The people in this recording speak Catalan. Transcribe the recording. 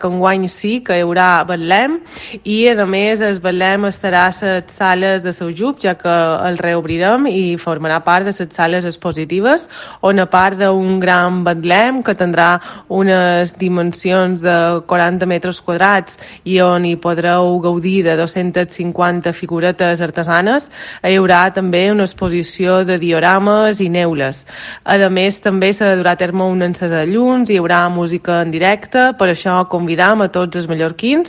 que enguany sí que hi haurà Betlem i a més el Betlem estarà a les sales de Saujub, ja que el reobrirem i formarà part de les sales expositives, on a part d'un gran Betlem que tindrà unes dimensions de 40 metres quadrats i on hi podreu gaudir de 250 figuretes artesanes, hi haurà també una exposició de diorames i neules. A més, també s'ha de dur a terme un encès de llums, hi haurà música en directe, per això convidam a tots els mallorquins